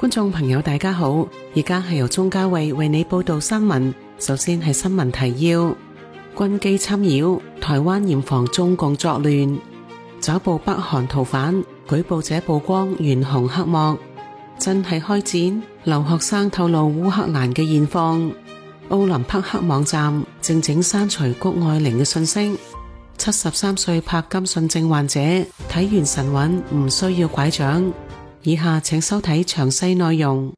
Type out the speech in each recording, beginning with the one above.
觀眾朋友大家好，而家係由鍾嘉慧為你報道新聞。首先係新聞提要：軍機侵擾，台灣嚴防中共作亂；抓捕北韓逃犯，舉報者曝光懸紅黑幕；真係開戰，留學生透露烏克蘭嘅現況；奧林匹克網站靜靜刪除谷愛凌嘅訊息；73歲柏金遜症患者睇完神韻唔需要拐杖。以下請收睇詳細內容。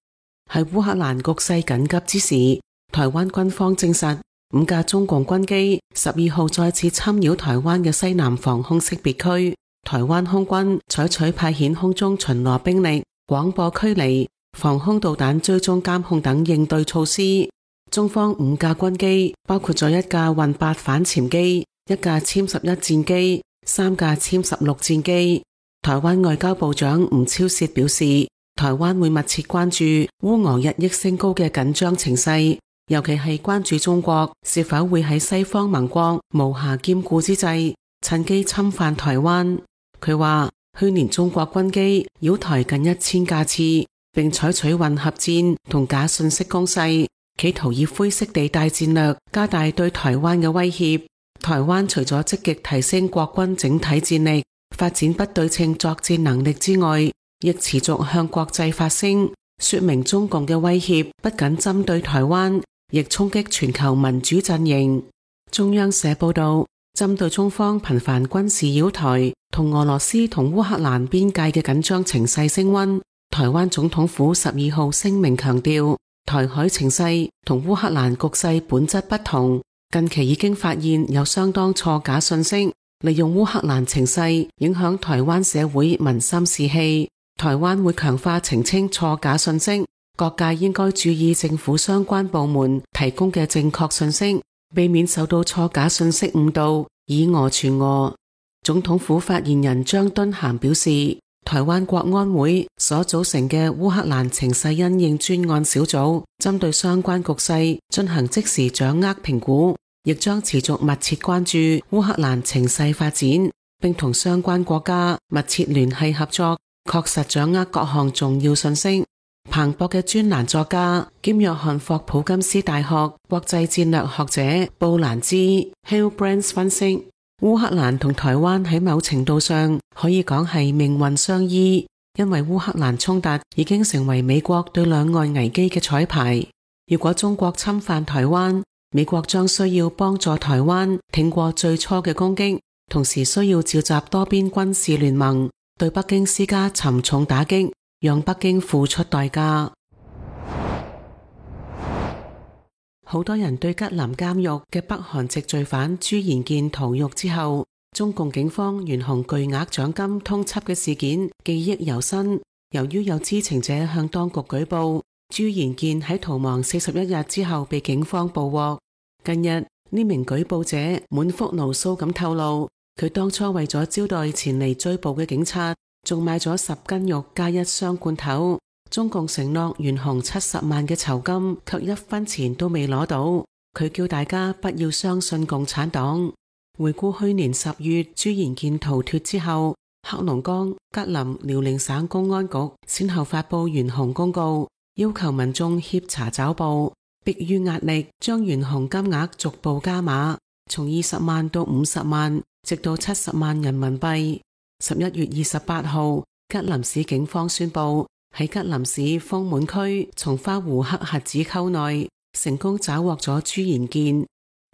喺烏克蘭局勢緊急之時，台灣軍方證實5架中共軍機12號再次侵擾台灣嘅西南防空識別區。台灣空軍採取派遣空中巡邏兵力、廣播驅離、防空導彈追蹤監控等應對措施。中方5架軍機包括咗1架運8反潛機、1架殲11戰機、3架殲16戰機。台灣外交部長吳釗燮表示，台灣會密切關注烏俄日益升高嘅緊張情勢，尤其係關注中國是否會喺西方盟國無暇兼顧之際，趁機侵犯台灣。佢話，去年中國軍機擾台近1000架次，並採取混合戰同假信息攻勢，企圖以灰色地帶戰略加大對台灣嘅威脅。台灣除咗積極提升國軍整體戰力，發展不對稱作戰能力之外，亦持續向國際發聲，說明中共嘅威脅不僅針對台灣，亦衝擊全球民主陣營。中央社報道，針對中方頻繁軍事擾台同俄羅斯同烏克蘭邊界嘅緊張情勢升溫，台灣總統府12號聲明強調，台海情勢同烏克蘭局勢本質不同，近期已經發現有相當錯假信息，利用烏克蘭情勢影響台灣社會民心士氣，台灣會強化澄清錯假信息，各界應該注意政府相關部門提供嘅正確信息，避免受到錯假信息誤導，以訛傳訛。總統府發言人張敦涵表示，台灣國安會所組成嘅烏克蘭情勢因應專案小組，針對相關局勢進行即時掌握評估，亦將持續密切關注烏克蘭情勢發展，並同相關國家密切聯繫合作，確實掌握各項重要信息。彭博嘅專欄作家兼約翰霍普金斯大學國際戰略學者布蘭茲 Hillbrands 分析，烏克蘭同台灣喺某程度上可以講係命運相依，因為烏克蘭衝突已經成為美國對兩岸危機嘅綵排。如果中國侵犯台灣，美國將需要幫助台灣挺過最初嘅攻擊，同時需要召集多邊軍事聯盟，對北京施加沉重打擊，讓北京付出代價。好多人對吉林監獄嘅北韓籍罪犯朱延健逃獄之後，中共警方懸紅巨額獎金通緝嘅事件記憶猶新。由於有知情者向當局舉報，朱延健喺逃亡41日之後被警方捕獲。近日呢名舉報者滿腹牢騷咁透露，佢當初為咗招待前嚟追捕嘅警察，仲買咗10斤肉加1箱罐頭。中共承諾懸紅70萬嘅酬金，卻1分錢都未攞到。佢叫大家不要相信共產黨。回顧去年10月朱延健逃脫之後，黑龍江、吉林、遼寧省公安局先後發佈懸紅公告，要求民眾協查抓捕。迫於壓力，將懸紅金額逐步加碼，從20萬到50萬，直到70萬人民幣。11月28號，吉林市警方宣布，喺吉林市豐滿區松花湖黑瞎子溝內，成功抓獲咗朱延健。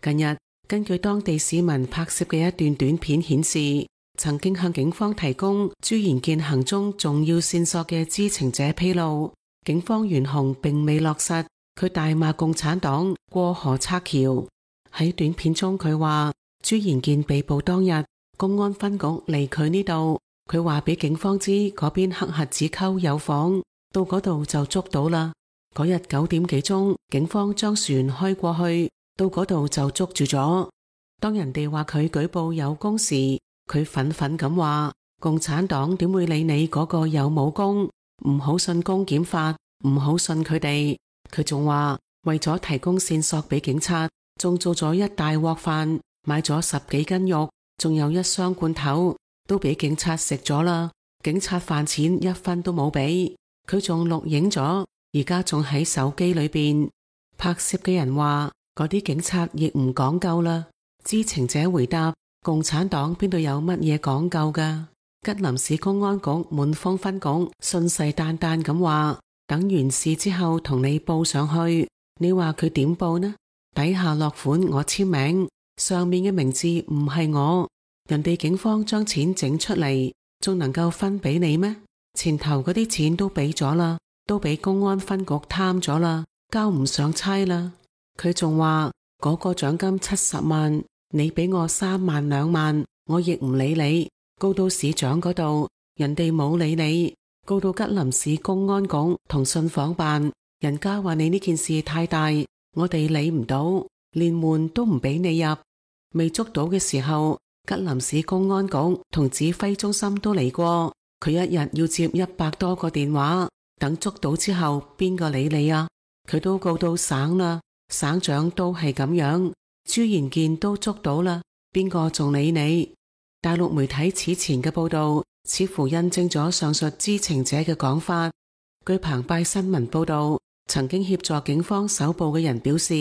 近日，根據當地市民拍攝嘅一段短片顯示，曾經向警方提供朱延健行蹤重要線索嘅知情者披露，警方懸紅並未落實。佢大罵共產黨過河拆橋。喺短片中佢話，朱延健被捕當日，公安分局嚟佢呢度，佢話俾警方知嗰邊黑瞎子溝有房，到嗰度就捉到啦。嗰日9點幾鐘，警方將船開過去，到嗰度就捉住咗。當人哋話佢舉報有功時，佢憤憤咁話，共產黨點會理你嗰個有冇功？唔好信公檢法，唔好信佢哋。佢仲話為咗提供線索俾警察，仲做咗一大鍋飯，買咗10幾斤肉，仲有1箱罐頭，都俾警察食咗啦。警察飯錢1分都冇俾。佢仲錄影咗，而家仲喺手機裏邊。拍攝嘅人話嗰啲警察亦唔講究啦。知情者回答：共產黨邊度有乜嘢講究㗎？吉林市公安局滿豐分局信誓旦旦咁話，等完事之後同你報上去。你話佢點報呢？底下落款我簽名，上面嘅名字唔係我。人哋警方將錢整出嚟，仲能夠分俾你咩？前頭嗰啲錢都俾咗啦，都俾公安分局貪咗啦，交唔上差啦。佢仲話嗰個獎金70萬，你俾我3萬2萬，我亦唔理你。告到市長嗰度，人哋冇理你。告到吉林市公安局同信訪辦，人家話你呢件事太大，我哋理唔到，連門都唔俾你入。未捉到嘅時候，吉林市公安局同指揮中心都嚟過，佢一日要接100多個電話。等捉到之後，邊個理你啊？佢都告到省啦，省長都係咁樣。朱賢健都捉到啦，邊個仲理你？大陸媒體此前嘅報道似乎印證咗上述知情者嘅講法。據澎湃新聞報道，曾經協助警方搜捕嘅人表示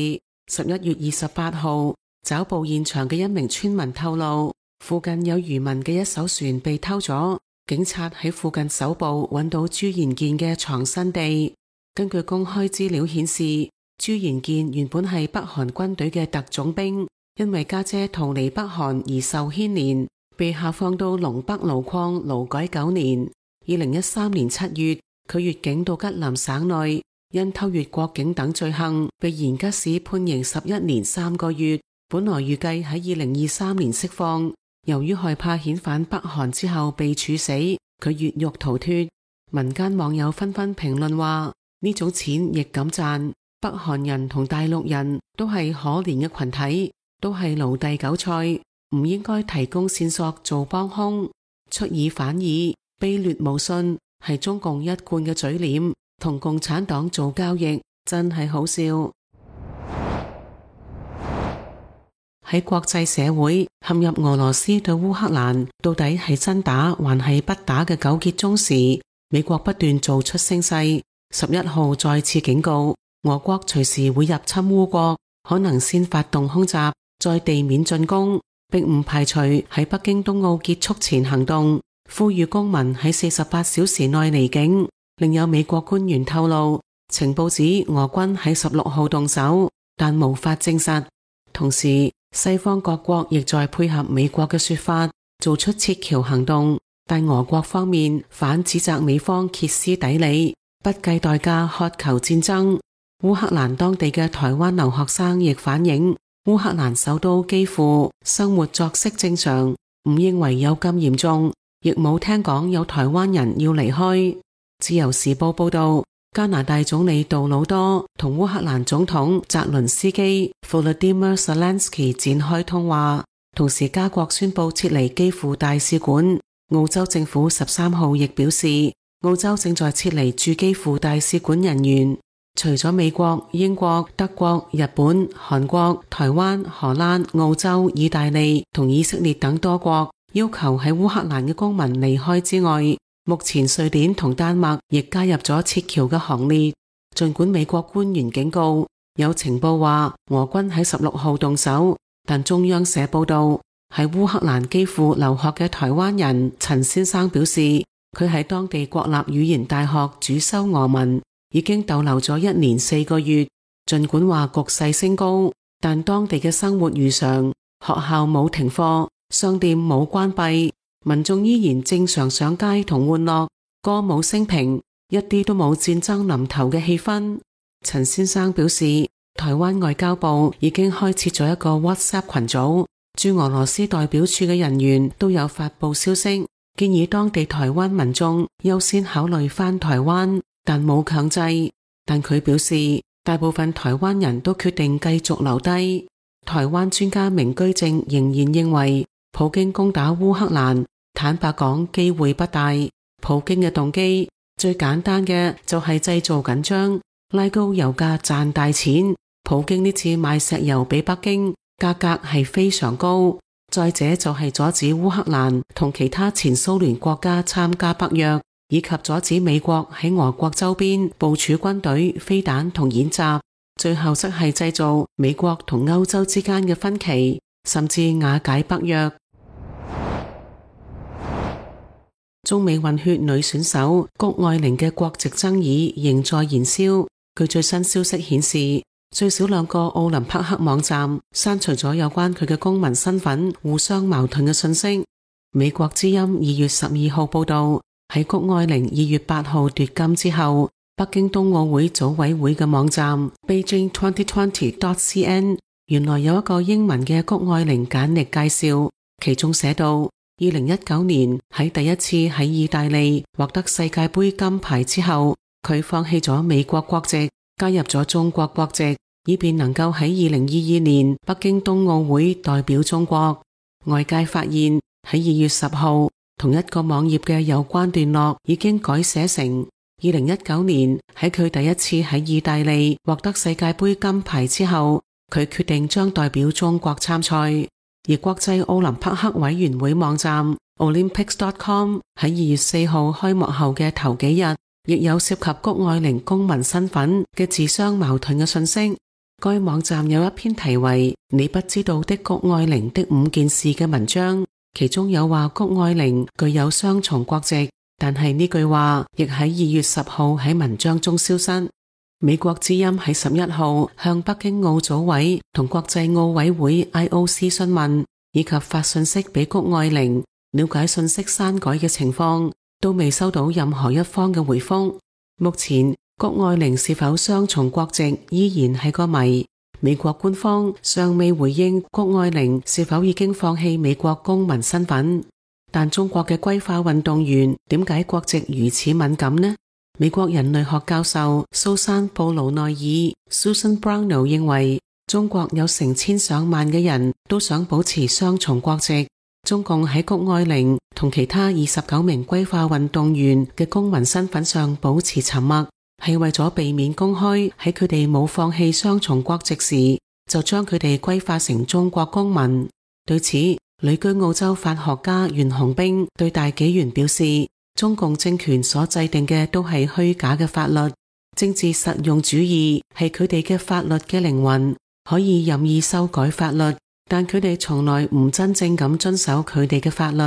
，11月28號找捕現場嘅一名村民透露，附近有漁民嘅一艘船被偷咗，警察喺附近搜捕揾到朱賢健嘅藏身地。根據公開資料顯示，朱賢健原本係北韓軍隊嘅特種兵，因為家姐逃離北韓而受牽連，被下放到龍北路礦勞改9年。2013年7月，佢越境到吉林省內，因偷越國境等罪行被延吉市判刑11年3個月。本來預計喺2023年釋放，由於害怕遣返北韓之後被處死，佢越獄逃脫。民間網友紛紛評論話，呢種錢亦敢賺。北韓人同大陸人都係可憐嘅群體，都係奴隸韭菜，唔應該提供線索做幫兇。出爾反爾，卑劣無信，係中共一貫嘅嘴臉，同共產黨做交易真係好笑。喺國際社會陷入俄羅斯對烏克蘭到底係真打還係不打嘅糾結中時，美國不斷做出聲勢。11號再次警告，俄國隨時會入侵烏國，可能先發動空襲，再地面進攻，並唔排除喺北京冬奧結束前行動，呼籲公民喺48小時內離境。另有美國官員透露，情報指俄軍喺16號動手，但無法證實。同時，西方各國亦在配合美國嘅說法，做出撤僑行動，但俄國方面反指責美方歇斯底里，不計代價渴求戰爭。烏克蘭當地嘅台灣留學生亦反映，烏克蘭首都基輔生活作息正常，唔認為有咁嚴重，亦冇聽講有台灣人要離開。自由時報報道，加拿大總理杜魯多同烏克蘭總統澤倫斯基 Volodymyr Zelensky 展開通話，同時加國宣布撤離基輔大使館。澳洲政府13號亦表示，澳洲正在撤離駐基輔大使館人員。除咗美國、英國、德國、日本、韓國、台灣、荷蘭、澳洲、意大利同以色列等多國要求喺烏克蘭嘅公民離開之外，目前瑞典同丹麥亦加入咗撤僑嘅行列。儘管美國官員警告，有情報話俄軍喺16號動手，但中央社報道，喺烏克蘭基輔留學嘅台灣人陳先生表示，佢喺當地國立語言大學主修俄文，已經逗留咗1年4個月。儘管話局勢升高，但當地嘅生活如常，學校冇停課，商店冇關閉，民眾依然正常上街同玩樂，歌舞升平，一啲都冇戰爭臨頭嘅氣氛。陳先生表示，台灣外交部已經開設咗一個 WhatsApp 群組，駐俄羅斯代表處嘅人員都有發佈消息，建議當地台灣民眾優先考慮返台灣，但冇強制。但佢表示，大部分台灣人都決定繼續留低。台灣專家明居正仍然認為，普京攻打烏克蘭，坦白講機會不大。普京嘅動機最簡單嘅就係製造緊張，拉高油價賺大錢。普京呢次賣石油俾北京，價格係非常高。再者就係阻止烏克蘭同其他前蘇聯國家參加北約。以及阻止美國喺俄國周邊部署軍隊、飛彈同演習，最後則係製造美國同歐洲之間嘅分歧，甚至瓦解北約。中美混血女選手谷愛凌嘅國籍爭議仍在燃燒。據最新消息顯示，最少2個奧林匹克網站刪除咗有關佢嘅公民身份互相矛盾嘅信息。美國之音2月12號報道，喺谷愛凌2月8號奪金之後，北京冬奧會組委會嘅網站 Beijing2020.cn 原來有一個英文嘅谷愛凌簡歷介紹，其中寫到2019年喺第一次喺意大利獲得世界盃金牌之後，佢放棄咗美國國籍，加入咗中國國籍，以便能夠喺2022年北京冬奧會代表中國。外界發現喺2月10號，同一個網頁嘅有關段落已經改寫成2019年喺佢第一次喺意大利獲得世界盃金牌之後，佢決定將代表中國參賽。而國際奧林匹克委員會網站 Olympics.com 喺2月4號開幕後嘅頭幾日，亦有涉及谷愛凌公民身份嘅自相矛盾嘅信息。該網站有一篇題為《你不知道的谷愛凌的5件事》嘅文章，其中有話谷愛凌具有雙重國籍，但係呢句話亦喺2月10號喺文章中消失。美國之音喺11號向北京奧組委同國際奧委會 IOC 詢問，以及發信息俾谷愛凌了解信息刪改嘅情況，都未收到任何一方嘅回覆。目前谷愛凌是否雙重國籍依然係個謎，美國官方尚未回應谷愛凌是否已經放棄美國公民身份。但中國嘅歸化運動員點解國籍如此敏感呢？美國人類學教授蘇珊布魯內爾 Susan Brownell 認為，中國有成千上萬嘅人都想保持雙重國籍。中共喺谷愛凌同其他29名歸化運動員嘅公民身份上保持沉默，係為咗避免公開喺佢哋冇放棄雙重國籍時就將佢哋歸化成中國公民。對此，旅居澳洲法學家袁洪兵對大紀元表示，中共政權所制定嘅都係虛假嘅法律，政治實用主義係佢哋嘅法律嘅靈魂，可以任意修改法律，但佢哋從來唔真正咁遵守佢哋嘅法律。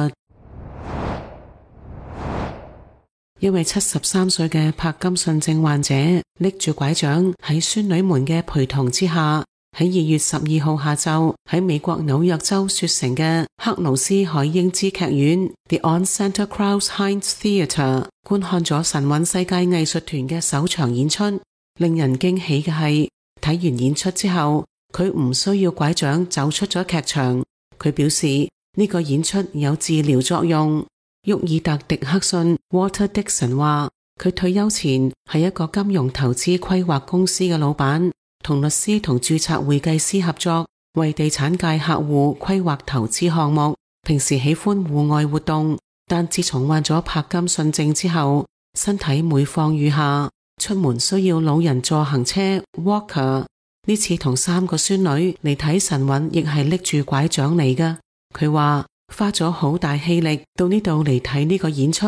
一位73歲嘅柏金遜症患者拎住拐杖喺孫女們嘅陪同之下，喺2月12號下晝喺美國紐約州雪城嘅克勞斯海英茲劇院 The On Santa Cruz Heights Theatre 觀看咗神韻世界藝術團嘅首場演出。令人驚喜嘅係，睇完演出之後，佢唔需要拐杖走出咗劇場。佢表示呢個演出有治療作用。沃爾特·迪克遜 Walter Dixon 話，佢退休前係一個金融投資規劃公司嘅老闆，同律師同註冊會計師合作，為地產界客戶規劃投資項目。平時喜歡戶外活動，但自從患咗柏金遜症之後，身體每況愈下，出門需要老人助行車 Walker。呢次同3個孫女嚟睇神韻，亦係拎住拐杖嚟㗎。佢話花咗好大氣力到呢度嚟睇呢個演出，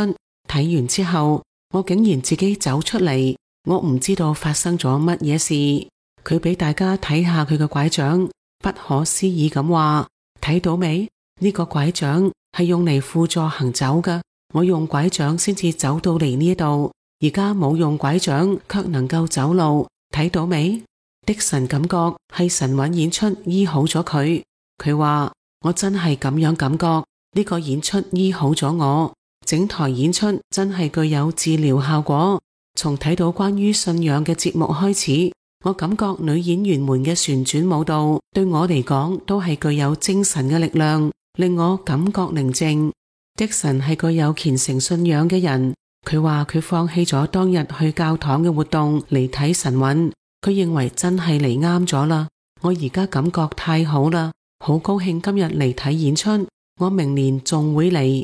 睇完之後，我竟然自己走出嚟，我唔知道發生咗乜嘢事。佢俾大家睇下佢嘅拐杖，不可思議咁話：睇到未？呢個拐杖係用嚟輔助行走㗎，我用拐杖先至走到嚟呢度，而家冇用拐杖卻能夠走路，睇到未？迪神感覺係神韻演出醫好咗佢。佢話：我真係咁樣感覺，呢個演出醫好咗我，整台演出真係具有治療效果。從睇到關於信仰嘅節目開始，我感覺女演員們嘅旋轉舞蹈對我嚟講都係具有精神嘅力量，令我感覺寧靜。迪神係具有虔誠信仰嘅人，佢話佢放棄咗當日去教堂嘅活動嚟睇神韻，佢認為真係嚟啱咗啦。我而家感覺太好啦，好高興今日嚟睇演出，我明年仲會嚟。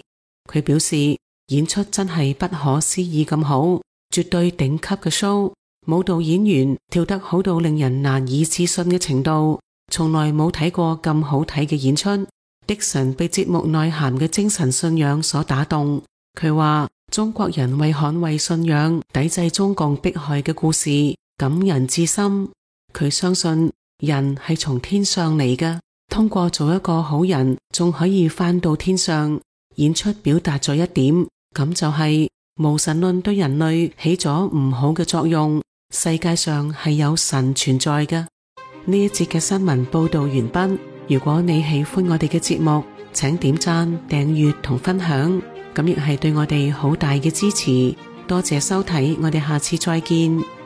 佢表示演出真係不可思議咁好，絕對頂級嘅 show， 舞蹈演員跳得好到令人難以置信嘅程度，從來冇睇過咁好睇嘅演出。迪神被節目內涵嘅精神信仰所打動，佢話中國人為捍衛信仰、抵制中共迫害嘅故事感人至深。佢相信人係從天上嚟嘅，通過做一個好人，仲可以返到天上。演出表達咗一點，咁就係無神論對人類起咗唔好嘅作用，世界上係有神存在嘅。呢一節嘅新聞報道完畢。如果你喜歡我哋嘅節目，請點讚、訂閱同分享，咁亦係對我哋好大嘅支持。多謝收睇，我哋下次再見。